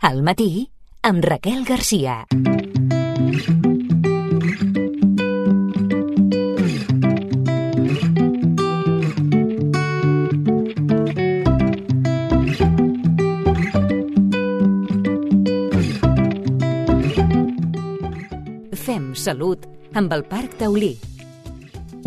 Al matí, amb Raquel Garcia. Fem salut amb el Parc Taulí.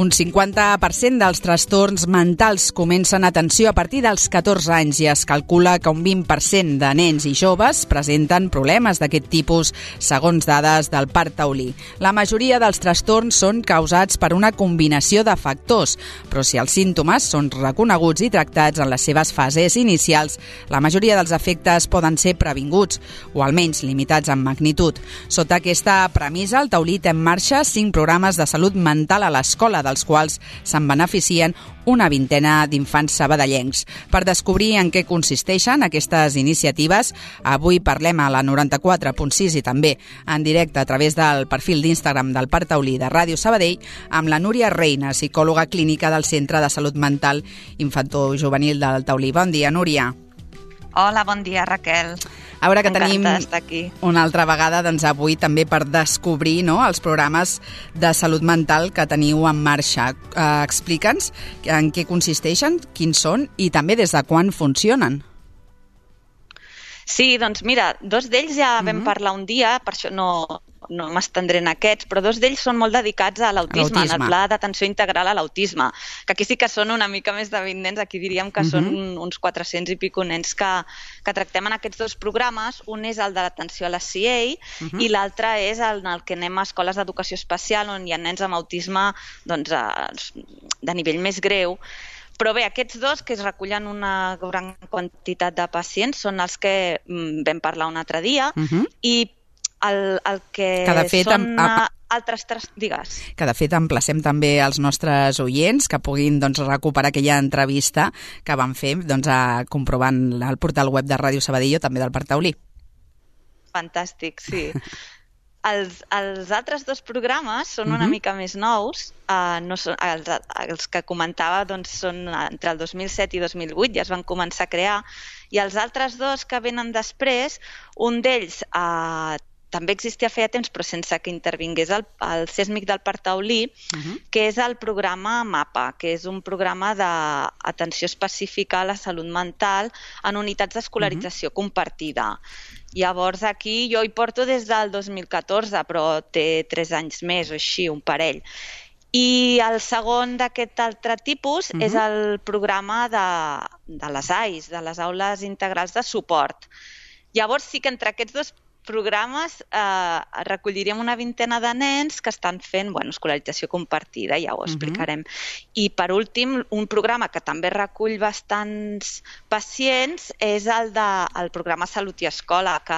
Un 50% dels trastorns mentals comencen atenció a partir dels 14 anys i es calcula que un 20% de nens i joves presenten problemes d'aquest tipus, segons dades del Parc Taulí. La majoria dels trastorns són causats per una combinació de factors, però si els símptomes són reconeguts i tractats en les seves fases inicials, la majoria dels efectes poden ser previnguts, o almenys limitats en magnitud. Sota aquesta premissa, el Taulí té en marxa 5 programes de salut mental a l'escola, dels quals se'n beneficien una vintena d'infants sabadellencs. Per descobrir en què consisteixen aquestes iniciatives, avui parlem a la 94.6 i també en directe a través del perfil d'Instagram del Parc Taulí de Ràdio Sabadell amb la Núria Reina, psicòloga clínica del Centre de Salut Mental Infantojuvenil del Taulí. Bon dia, Núria. Hola, bon dia, Raquel. A veure que tenim aquí una altra vegada avui també per descobrir els programes de salut mental que teniu en marxa. Explica'ns en què consisteixen, quins són i també des de quan funcionen. Sí, doncs mira, 2 d'ells ja vam parlar un dia, per això no m'estendré en aquests, però 2 d'ells són molt dedicats a l'autisme, en el pla d'atenció integral a l'autisme, que aquí sí que són una mica més de 20 nens, aquí diríem que són uns 400 i pico nens que tractem en aquests 2 programes. Un és el de l'atenció a la CIE i l'altre és en el que anem a escoles d'educació especial on hi ha nens amb autisme de nivell més greu. Però bé, aquests 2, que es recullen una gran quantitat de pacients, són els que vam parlar un altre dia i el que són altres... Digues. Que de fet emplacem també els nostres oients que puguin recuperar aquella entrevista que van fer comprovant el portal web de Ràdio Sabadell o també del Parc Taulí. Fantàstic, sí. Els altres 2 programes són una mica més nous. Els que comentava són entre el 2007 i 2008, ja es van començar a crear, i els altres 2 que venen després, un d'ells també existia feia temps, però sense que intervingués el CESMIC del Parc Taulí, que és el programa MAPA, que és un programa d'atenció específica a la salut mental en unitats d'escolarització compartida. Llavors aquí jo hi porto des del 2014, però té 3 anys més o així, un parell. I el segon d'aquest altre tipus és el programa de les AIS, de les aules integrals de suport. Llavors sí que entre aquests 2 programes recolliríem una vintena de nens que estan fent escolarització compartida, ja ho explicarem. I per últim, un programa que també recull bastants pacients és el programa Salut i Escola, que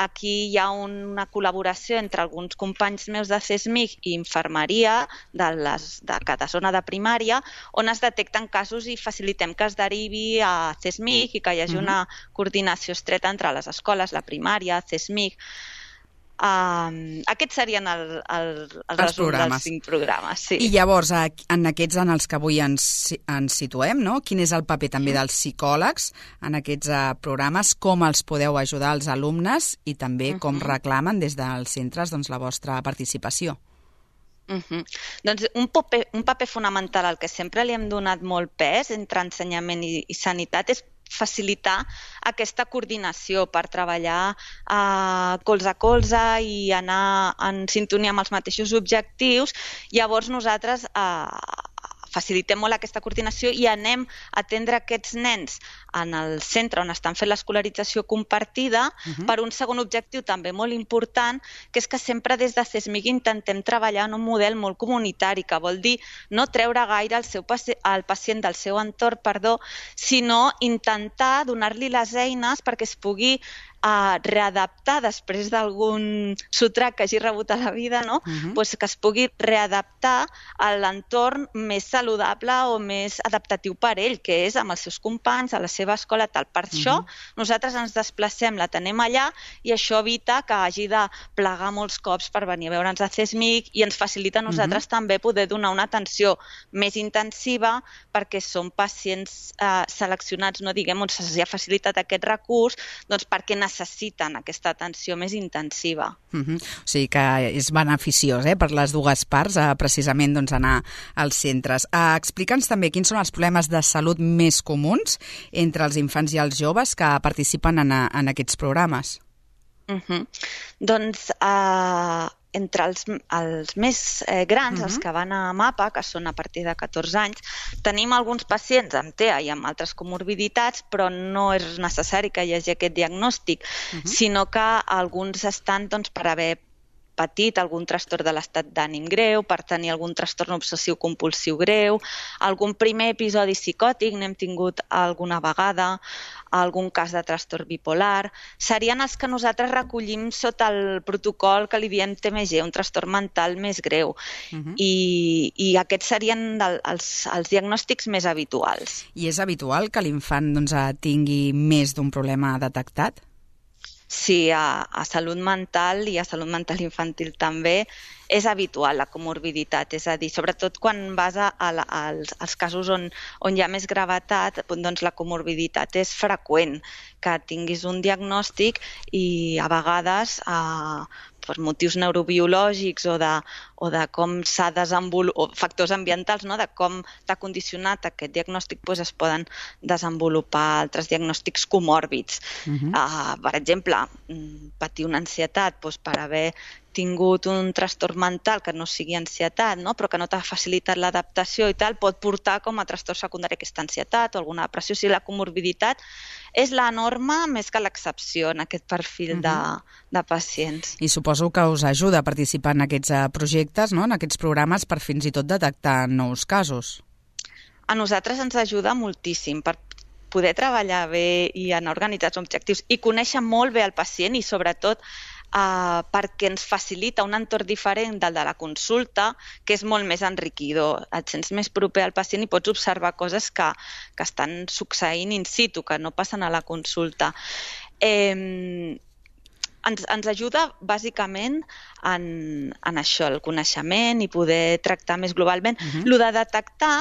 aquí hi ha una col·laboració entre alguns companys meus de CESMIC i infermeria de cada zona de primària, on es detecten casos i facilitem que es derivi a CESMIC i que hi hagi una coordinació estreta entre les escoles, la primària, CESMIC. Aquests serien els resum dels 5 programes. Sí. I llavors, en aquests en els que avui ens situem, quin és el paper també dels psicòlegs en aquests programes, com els podeu ajudar als alumnes i també com reclamen des dels centres la vostra participació? Doncs un paper fonamental al que sempre li hem donat molt pes entre ensenyament i sanitat és facilitar aquesta coordinació per treballar colze a colze i anar en sintonia amb els mateixos objectius. Llavors nosaltres facilitem molt aquesta coordinació i anem a atendre aquests nens en el centre on estan fent l'escolarització compartida per un segon objectiu també molt important, que és que sempre des de CESMIC intentem treballar en un model molt comunitari, que vol dir no treure gaire el pacient del seu entorn, sinó intentar donar-li les eines perquè es pugui readaptar després d'algun sotrac que hagi rebut a la vida, que es pugui readaptar a l'entorn més saludable o més adaptatiu per ell, que és amb els seus companys, a la seva escola, tal. Per això nosaltres ens desplacem, l'atenem allà i això evita que hagi de plegar molts cops per venir a veure'ns a CESMIC i ens facilita a nosaltres també poder donar una atenció més intensiva perquè són pacients seleccionats, on se'ls ha facilitat aquest recurs, perquè necessiten necessiten aquesta atenció més intensiva. O sigui que és beneficiós per les dues parts, precisament anar als centres. Explica'ns també quins són els problemes de salut més comuns entre els infants i els joves que participen en aquests programes. Doncs entre els més grans, els que van a MAPA, que són a partir de 14 anys, tenim alguns pacients amb TEA i amb altres comorbiditats, però no és necessari que hi hagi aquest diagnòstic, sinó que alguns estan per haver patit algun trastorn de l'estat d'ànim greu, per tenir algun trastorn obsessiu-compulsiu greu, algun primer episodi psicòtic, n'hem tingut alguna vegada, algun cas de trastorn bipolar. Serien els que nosaltres recollim sota el protocol que li diem TMG, un trastorn mental més greu. I aquests serien els diagnòstics més habituals. I és habitual que l'infant tingui més d'un problema detectat? Sí, a salut mental i a salut mental infantil també és habitual la comorbiditat, és a dir, sobretot quan vas als casos on hi ha més gravetat, doncs la comorbiditat és freqüent, que tinguis un diagnòstic i a vegades per motius neurobiològics o de com s'ha desenvolupat, factors ambientals, de com t'ha condicionat aquest diagnòstic, es poden desenvolupar altres diagnòstics comòrbits. Per exemple, patir una ansietat per haver tingut un trastorn mental que no sigui ansietat, però que no t'ha facilitat l'adaptació i tal, pot portar com a trastorn secundari aquesta ansietat o alguna depressió. O sigui, la comorbiditat és la norma més que l'excepció en aquest perfil de pacients. I suposo que us ajuda a participar en aquests projectes, en aquests programes, per fins i tot detectar nous casos. A nosaltres ens ajuda moltíssim per poder treballar bé i anar organitzats objectius i conèixer molt bé el pacient i sobretot perquè ens facilita un entorn diferent del de la consulta, que és molt més enriquidor. Et sents més proper al pacient i pots observar coses que estan succeint in situ, que no passen a la consulta. Ens ajuda bàsicament en això, el coneixement i poder tractar més globalment. Lo de detectar,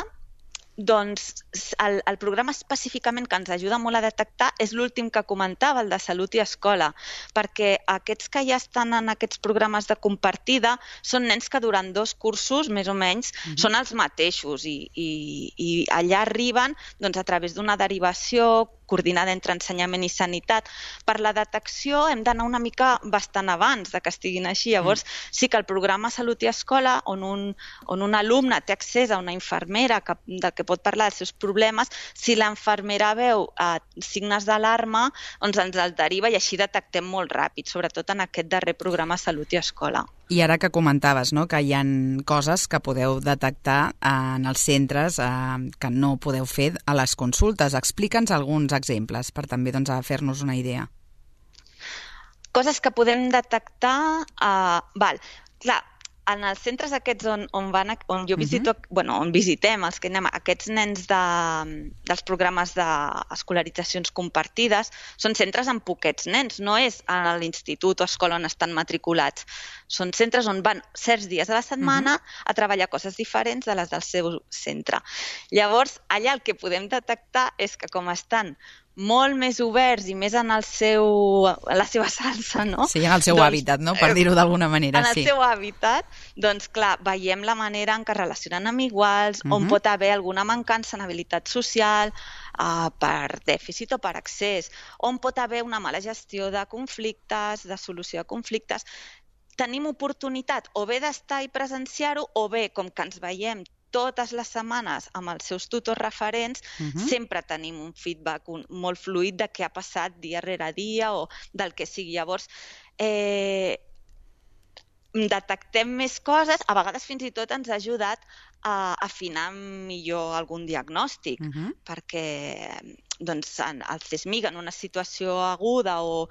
doncs el programa específicament que ens ajuda molt a detectar és l'últim que comentava, el de salut i escola, perquè aquests que ja estan en aquests programes de compartida són nens que durant 2 cursos, més o menys, són els mateixos i allà arriben a través d'una derivació coordinada entre ensenyament i sanitat. Per la detecció hem d'anar una mica bastant abans de que estiguin així. Llavors, sí que el programa Salut i Escola, on un alumne té accés a una infermera del que pot parlar dels seus problemes, si l'infermera veu signes d'alarma, doncs ens el deriva i així detectem molt ràpid, sobretot en aquest darrer programa Salut i Escola. I ara que comentaves que hi ha coses que podeu detectar en els centres que no podeu fer a les consultes, explica'ns alguns exemples per també fer-nos una idea. Coses que podem detectar... Clar, en els centres aquests on jo visito, on visitem els que anem, aquests nens dels programes d'escolaritzacions compartides, són centres amb poquets nens, no és a l'institut o escola on estan matriculats. Són centres on van certs dies a la setmana a treballar coses diferents de les del seu centre. Llavors, allà el que podem detectar és que com estan molt més oberts i més en la seva salsa, no? Sí, en el seu hàbitat, no? Per dir-ho d'alguna manera, sí. En el seu hàbitat, doncs clar, veiem la manera en què es relacionen amb iguals, on pot haver alguna mancança en habilitat social, per dèficit o per excés, on pot haver una mala gestió de conflictes, de solució de conflictes. Tenim oportunitat o bé d'estar i presenciar-ho, o bé, com que ens veiem totes les setmanes amb els seus tutors referents, sempre tenim un feedback molt fluid de què ha passat dia rere dia o del que sigui. Llavors, detectem més coses, a vegades fins i tot ens ha ajudat a afinar millor algun diagnòstic, perquè el CESMIC en una situació aguda o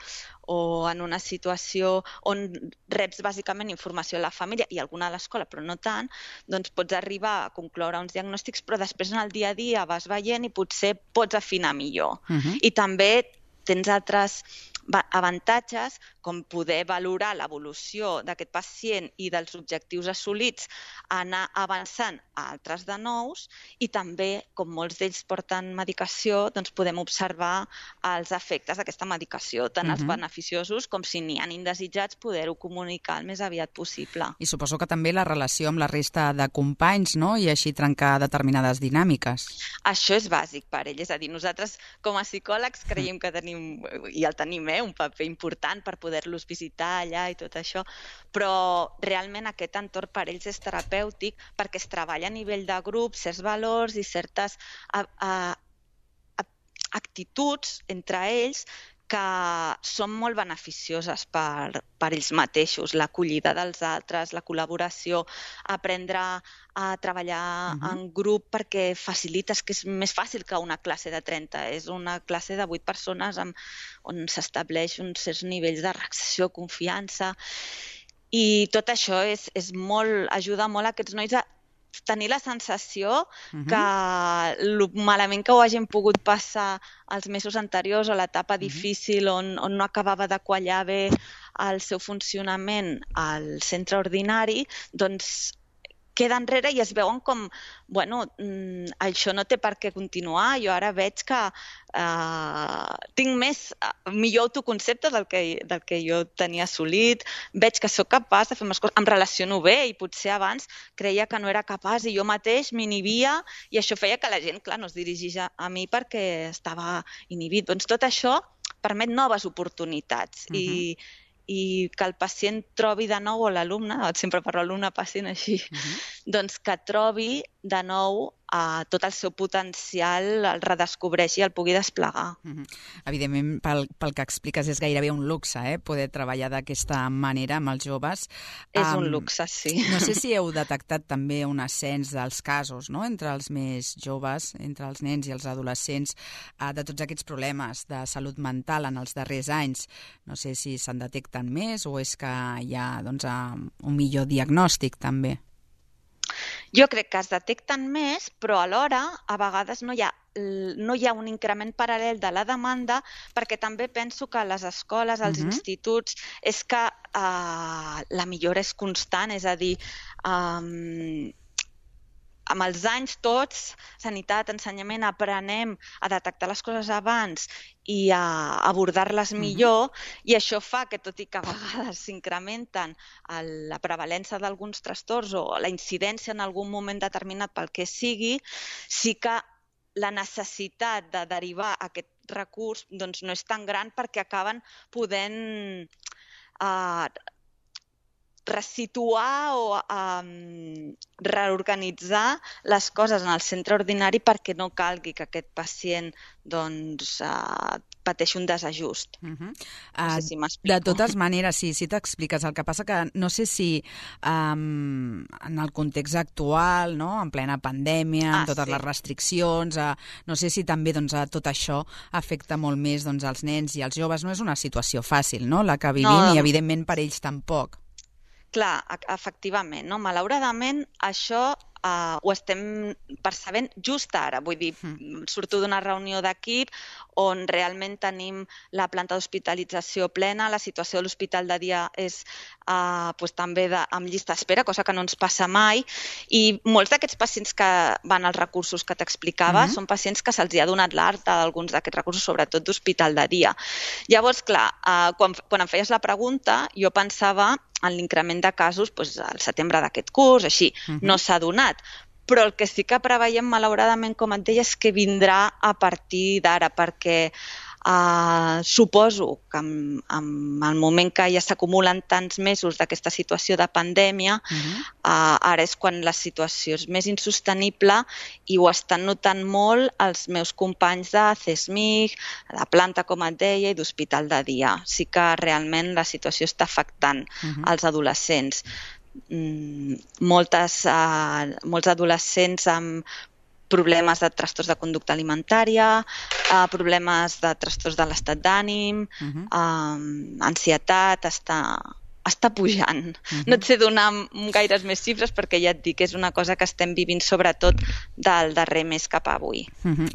en una situació on reps bàsicament informació a la família i alguna a l'escola, però no tant, doncs pots arribar a concloure uns diagnòstics, però després en el dia a dia vas veient i potser pots afinar millor. I també tens altres avantatges com poder valorar l'evolució d'aquest pacient i dels objectius assolits, anar avançant a altres de nous i també, com molts d'ells porten medicació, doncs podem observar els efectes d'aquesta medicació, tant els beneficiosos com si n'hi ha indesitjats, poder-ho comunicar el més aviat possible. I suposo que també la relació amb la resta de companys, no? I així trencar determinades dinàmiques. Això és bàsic per ell, és a dir, nosaltres com a psicòlegs creiem que tenim, i el tenim, un paper important per poder-los visitar allà i tot això, però realment aquest entorn per ells és terapèutic perquè es treballa a nivell de grup, certs valors i certes actituds entre ells que són molt beneficioses per ells mateixos, l'acollida dels altres, la col·laboració, aprendre a treballar en grup perquè facilites, que és més fàcil que una classe de 30, és una classe de 8 persones on s'estableix uns certs nivells de reacció, confiança, i tot això ajuda molt a aquests nois a tenir la sensació que el malament que ho hagin pogut passar els mesos anteriors o l'etapa difícil on no acabava de quallar bé el seu funcionament al centre ordinari, doncs queda enrere i es veuen com, bueno, això no té per què continuar, jo ara veig que tinc millor autoconcepte del que jo tenia assolit, veig que sóc capaç de fer més coses, em relaciono bé i potser abans creia que no era capaç i jo mateix m'inhibia i això feia que la gent, clar, no es dirigís a mi perquè estava inhibit. Doncs tot això permet noves oportunitats i que el pacient trobi de nou, o l'alumne, sempre parlo alumne-pacient així, doncs que trobi de nou tot el seu potencial, el redescobreixi i el pugui desplegar. Evidentment, pel que expliques, és gairebé un luxe, poder treballar d'aquesta manera amb els joves. És un luxe, sí. No sé si heu detectat també un ascens dels casos, no?, entre els més joves, entre els nens i els adolescents, de tots aquests problemes de salut mental en els darrers anys. No sé si se'n detecten més o és que hi ha un millor diagnòstic també. Jo crec que es detecten més, però alhora a vegades no hi ha un increment paral·lel de la demanda perquè també penso que a les escoles, als instituts, és que la millora és constant, és a dir, amb els anys tots, sanitat, ensenyament, aprenem a detectar les coses abans i a abordar-les millor, i això fa que, tot i que a vegades s'incrementen la prevalença d'alguns trastorns o la incidència en algun moment determinat pel que sigui, sí que la necessitat de derivar aquest recurs doncs, no és tan gran perquè acaben podent resituar o reorganitzar les coses en el centre ordinari perquè no calgui que aquest pacient pateixi un desajust. No sé si m'explico. De totes maneres, sí t'expliques. El que passa que no sé si en el context actual, no?, en plena pandèmia, amb totes les restriccions, no sé si també tot això afecta molt més els nens i els joves. No és una situació fàcil, no?, la que vivim, i evidentment per ells tampoc. Clar, efectivament, no? Malauradament això ho estem percebent just ara, vull dir, surto d'una reunió d'equip on realment tenim la planta d'hospitalització plena, la situació de l'hospital de dia és també amb llista d'espera, cosa que no ens passa mai, i molts d'aquests pacients que van als recursos que t'explicava són pacients que se'ls ha donat l'alta d'alguns d'aquests recursos, sobretot d'hospital de dia. Llavors, clar, quan em feies la pregunta, jo pensava en l'increment de casos al setembre d'aquest curs, així, no s'ha donat. Però el que sí que preveiem, malauradament, com et deia, és que vindrà a partir d'ara, perquè suposo que en el moment que ja s'acumulen tants mesos d'aquesta situació de pandèmia, ara és quan la situació és més insostenible i ho estan notant molt els meus companys de CESMIC, de planta, com et deia, i d'hospital de dia. Sí que realment la situació està afectant els adolescents. Molts adolescents amb problemes de trastorns de conducta alimentària, problemes de trastorns de l'estat d'ànim, ansietat, està pujant. No et sé donar gaires més xifres perquè ja et dic que és una cosa que estem vivint sobretot del darrer mes cap a avui.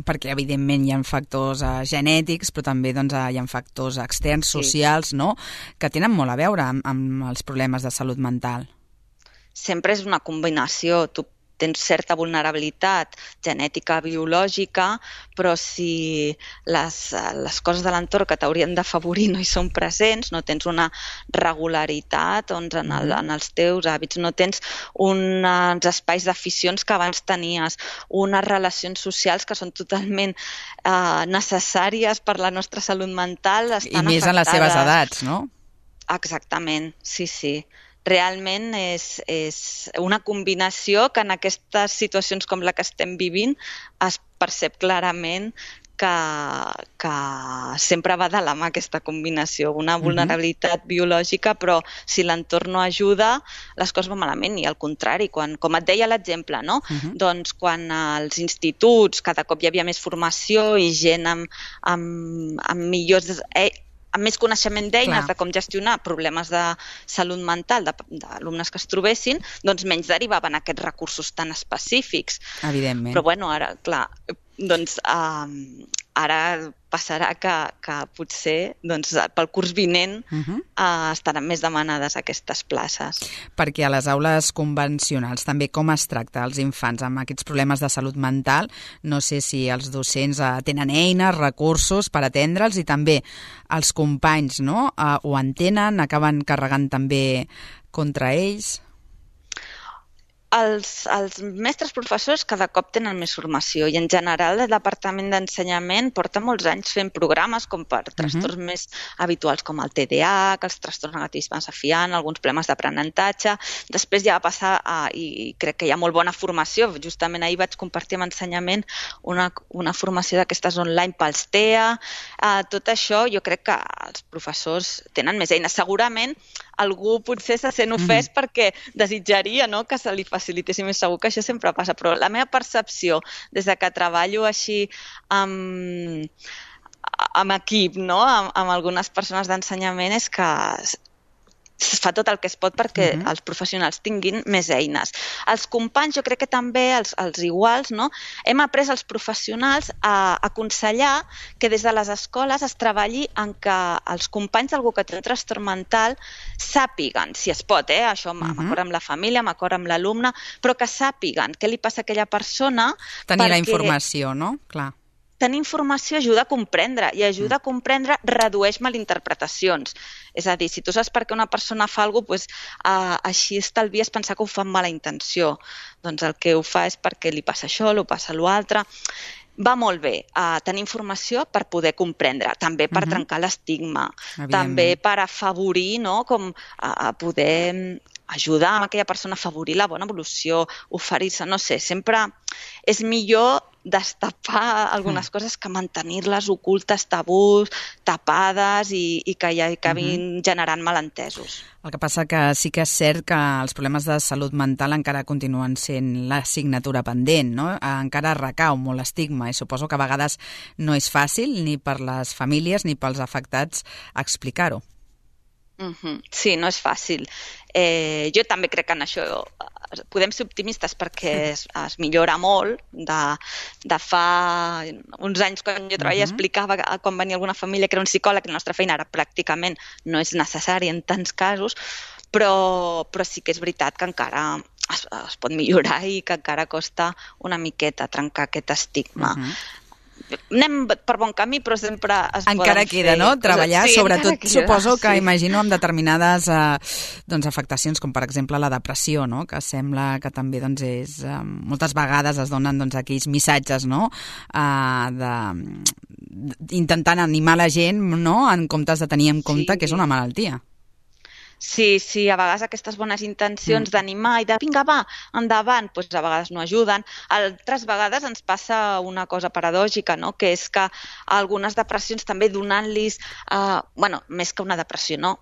Perquè evidentment hi ha factors genètics, però també doncs, hi ha factors externs, socials, no? Que tenen molt a veure amb els problemes de salut mental. Sempre és una combinació. Tu tens certa vulnerabilitat genètica, biològica, però si les coses de l'entorn que t'haurien d'afavorir no hi són presents, no tens una regularitat en els teus hàbits, no tens uns espais d'aficions que abans tenies, unes relacions socials que són totalment necessàries per la nostra salut mental, estan afectades. I més en les seves edats, no? Exactament, sí. Realment és una combinació que en aquestes situacions com la que estem vivint es percep clarament que sempre va de la mà aquesta combinació, una vulnerabilitat biològica, però si l'entorn no ajuda, les coses van malament, i al contrari, com et deia l'exemple, no? Doncs quan als instituts cada cop hi havia més formació i gent amb millors amb més coneixement d'eines de com gestionar problemes de salut mental d'alumnes que es trobessin, doncs menys derivaven aquests recursos tan específics. Evidentment. Però bueno, ara, clar, doncs ara passarà que potser doncs, pel curs vinent estaran més demanades aquestes places. Perquè a les aules convencionals també com es tracta els infants amb aquests problemes de salut mental? No sé si els docents tenen eines, recursos per atendre'ls, i també els companys, no? Ho entenen, acaben carregant també contra ells? Els mestres professors cada cop tenen més formació i en general el Departament d'Ensenyament porta molts anys fent programes com per trastorns més habituals com el TDAH, els trastorns negativisme desafiant, alguns problemes d'aprenentatge. Després ja va passar, i crec que hi ha molt bona formació, justament ahir vaig compartir amb Ensenyament una formació d'aquestes online pels TEA. Tot això jo crec que els professors tenen més eines. Segurament algú potser se sent ofès perquè desitjaria, no?, que se li facilitessi més. Segur que això sempre passa, però la meva percepció des de que treballo així amb equip, no?, amb algunes persones d'ensenyament, és que es fa tot el que es pot perquè els professionals tinguin més eines. Els companys, jo crec que també, els iguals, no?, hem après els professionals a aconsellar que des de les escoles es treballi en que els companys d'algú que té un trastorn mental sàpiguen, si es pot, això d'acord amb la família, d'acord amb l'alumne, però que sàpiguen què li passa a aquella persona. Tenir la informació, no? Clar. Tenir informació ajuda a comprendre, i ajuda a comprendre redueix malinterpretacions. És a dir, si tu saps per què una persona fa alguna cosa, així estalvies pensar que ho fa amb mala intenció. Doncs el que ho fa és perquè li passa això, li passa l'altre. Va molt bé tenir informació per poder comprendre, també per trencar l'estigma, també per afavorir, no?, com poder ajudar a aquella persona a afavorir la bona evolució, oferir-se, no sé, sempre és millor destapar algunes coses que mantenir-les ocultes, tabús, tapades i que ja acabin generant malentesos. El que passa que sí que és cert que els problemes de salut mental encara continuen sent l'assignatura pendent, no? Encara recau molt l'estigma i suposo que a vegades no és fàcil ni per les famílies ni pels afectats explicar-ho. Sí, no és fàcil. Jo també crec que en això podem ser optimistes perquè es millora molt. De fa uns anys, quan jo treballava, explicava quan venia alguna família que era un psicòleg, la nostra feina ara pràcticament no és necessària en tants casos, però sí que és veritat que encara es pot millorar i que encara costa una miqueta trencar aquest estigma. Anem per bon camí, però sempre es poden fer... Encara queda, no?, treballar, sobretot suposo que imagino amb determinades afectacions, com per exemple la depressió, no?, que sembla que també és... moltes vegades es donen aquells missatges, no?, intentant animar la gent, no?, en comptes de tenir en compte que és una malaltia. Sí, a vegades aquestes bones intencions d'animar i de vinga, va, endavant, doncs a vegades no ajuden. Altres vegades ens passa una cosa paradògica, no?, que és que algunes depressions també donant-los, més que una depressió, no?,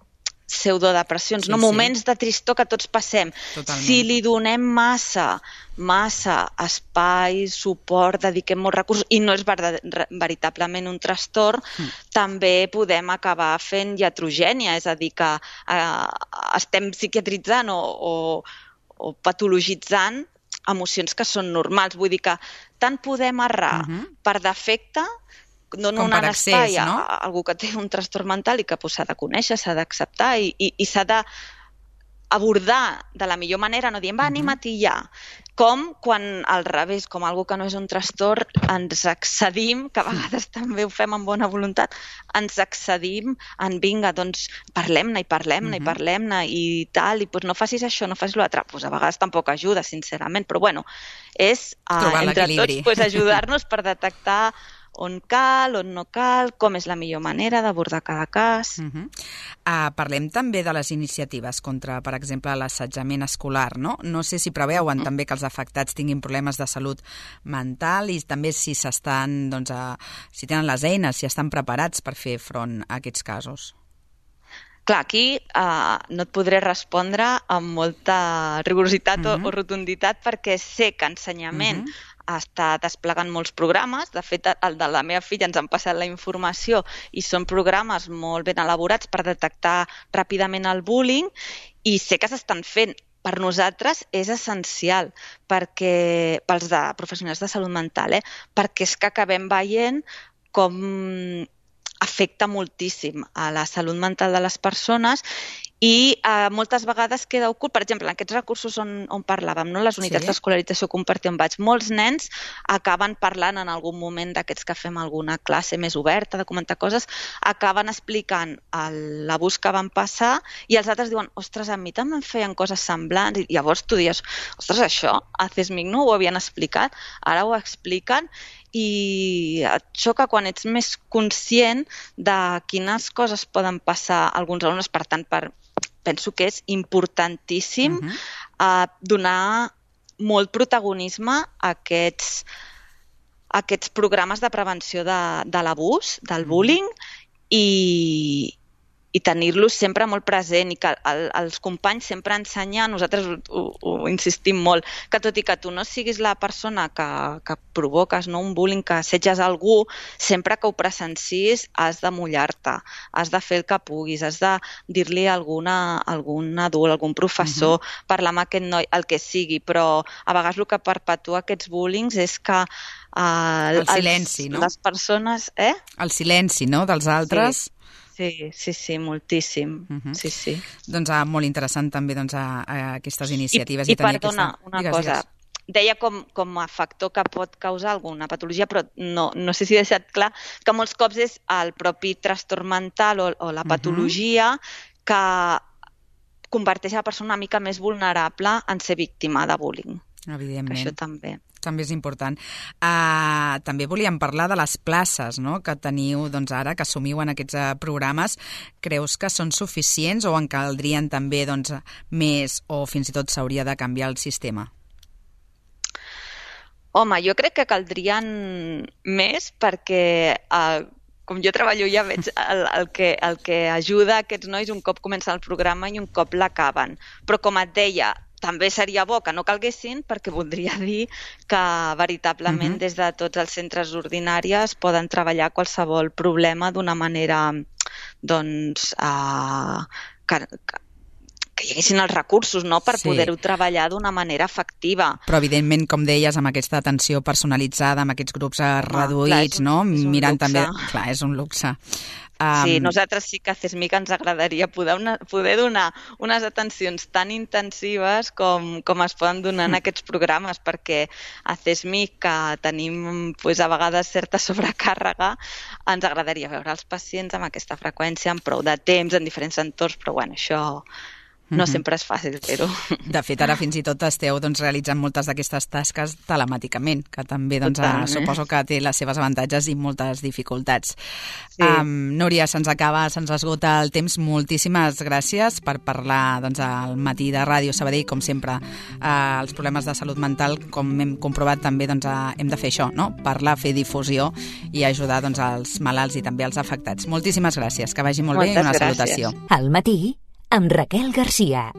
pseudodepressions, Sí, no? sí. Moments de tristor que tots passem. Totalment. Si li donem massa espai, suport, dediquem molts recursos i no és veritablement un trastorn, també podem acabar fent iatrogènia, és a dir, que estem psiquiatritzant o patologitzant emocions que són normals. Vull dir que tant podem errar per defecte, dono un espai a algú que té un trastorn mental i que s'ha de conèixer, s'ha d'acceptar i s'ha d'abordar de la millor manera, no dient, va, anima-t'hi ja. Com quan al revés, com algú que no és un trastorn, ens excedim, que a vegades també ho fem amb bona voluntat, ens excedim en vinga, doncs parlem-ne i parlem-ne i parlem-ne i tal, i doncs no facis això, no facis l'altre. Doncs a vegades tampoc ajuda, sincerament, però bueno, és entre tots ajudar-nos per detectar on cal, on no cal, com és la millor manera d'abordar cada cas. Parlem també de les iniciatives contra, per exemple, l'assetjament escolar, no? No sé si preveuen també que els afectats tinguin problemes de salut mental i també si s'estan, doncs, si tenen les eines, si estan preparats per fer front a aquests casos. Clar, aquí no et podré respondre amb molta rigorositat o rotunditat perquè sé que ensenyament està desplegant molts programes. De fet, el de la meva filla ens han passat la informació i són programes molt ben elaborats per detectar ràpidament el bullying i sé que s'estan fent. Per nosaltres és essencial pels de professionals de salut mental, perquè és que acabem veient com afecta moltíssim a la salut mental de les persones i moltes vegades queda ocult. Per exemple, en aquests recursos on parlàvem, no? Les unitats d'escolarització compartida on vaig, molts nens acaben parlant en algun moment d'aquests que fem alguna classe més oberta, de comentar coses, acaben explicant l'abús que van passar i els altres diuen, ostres, a mi també em feien coses semblants, i llavors tu dius, ostres, això a CESMIC no ho havien explicat, ara ho expliquen i et xoca quan ets més conscient de quines coses poden passar a alguns alumnes. Per tant, penso que és importantíssim donar molt protagonisme a aquests programes de prevenció de l'abús, del bullying, i tenir-los sempre molt present i que els companys sempre ensenyar, nosaltres ho insistim molt, que tot i que tu no siguis la persona que provoques un bullying, que assetges algú, sempre que ho presencis has de mullar-te, has de fer el que puguis, has de dir-li a algun adult, algun professor, parlar amb aquest noi, el que sigui, però a vegades el que perpetua aquests bullings és que el silenci, no? Les persones... El silenci, no?, dels altres... Sí, moltíssim. Sí. Doncs molt interessant també aquestes iniciatives. I perdona, una cosa. Deia com a factor que pot causar alguna patologia, però no sé si he deixat clar que molts cops és el propi trastorn mental o la patologia que converteix la persona una mica més vulnerable en ser víctima de bullying. Evidentment. Això també. També és important. També volíem parlar de les places, no?, que teniu ara, que assumiu en aquests programes. Creus que són suficients o en caldrien també més o fins i tot s'hauria de canviar el sistema? Home, jo crec que caldrien més perquè... com jo treballo ja veig el que ajuda a aquests nois un cop comença el programa i un cop l'acaben. Però com et deia, també seria bo que no calguessin perquè voldria dir que veritablement des de tots els centres ordinaris poden treballar qualsevol problema d'una manera que hi haguessin els recursos per poder-ho treballar d'una manera efectiva. Però evidentment, com deies, amb aquesta atenció personalitzada, amb aquests grups reduïts, mirant també... Clar, és un luxe. Sí, nosaltres sí que a CESMIC ens agradaria poder donar unes atencions tan intensives com es poden donar en aquests programes, perquè a CESMIC, que tenim a vegades certa sobrecàrrega, ens agradaria veure els pacients amb aquesta freqüència, amb prou de temps, en diferents entorns, però bueno, això... No sempre és fàcil fer-ho. De fet, ara fins i tot esteu realitzant moltes d'aquestes tasques telemàticament, que també suposo que té les seves avantatges i moltes dificultats. Sí. Núria, se'ns esgota el temps. Moltíssimes gràcies per parlar al matí de Ràdio Sabadell, com sempre. Els problemes de salut mental, com hem comprovat també, hem de fer això, no? Parlar, fer difusió i ajudar els malalts i també els afectats. Moltíssimes gràcies, que vagi molt bé i una salutació. Al matí, amb Raquel Garcia.